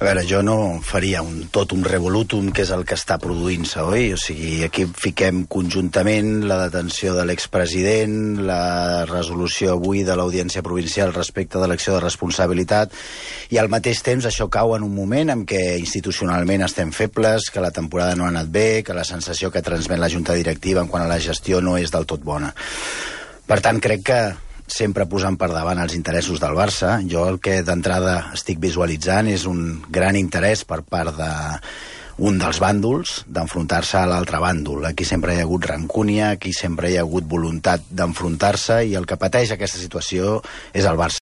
A veure, jo no faria tot un revolutum, que és el que està produint-se, oi? O sigui, aquí fiquem conjuntament la detenció de l'expresident, la resolució avui de l'Audiència Provincial respecte de l'acció de responsabilitat, i al mateix temps això cau en un moment en què institucionalment estem febles, que la temporada no ha anat bé, que la sensació que transmet la Junta Directiva en quant a la gestió no és del tot bona. Per tant, crec que sempre posant per davant els interessos del Barça. Jo el que d'entrada estic visualitzant és un gran interès per part d'un dels bàndols d'enfrontar-se a l'altre bàndol. Aquí sempre hi ha hagut rancúnia, aquí sempre hi ha hagut voluntat d'enfrontar-se, i el que pateix aquesta situació és el Barça.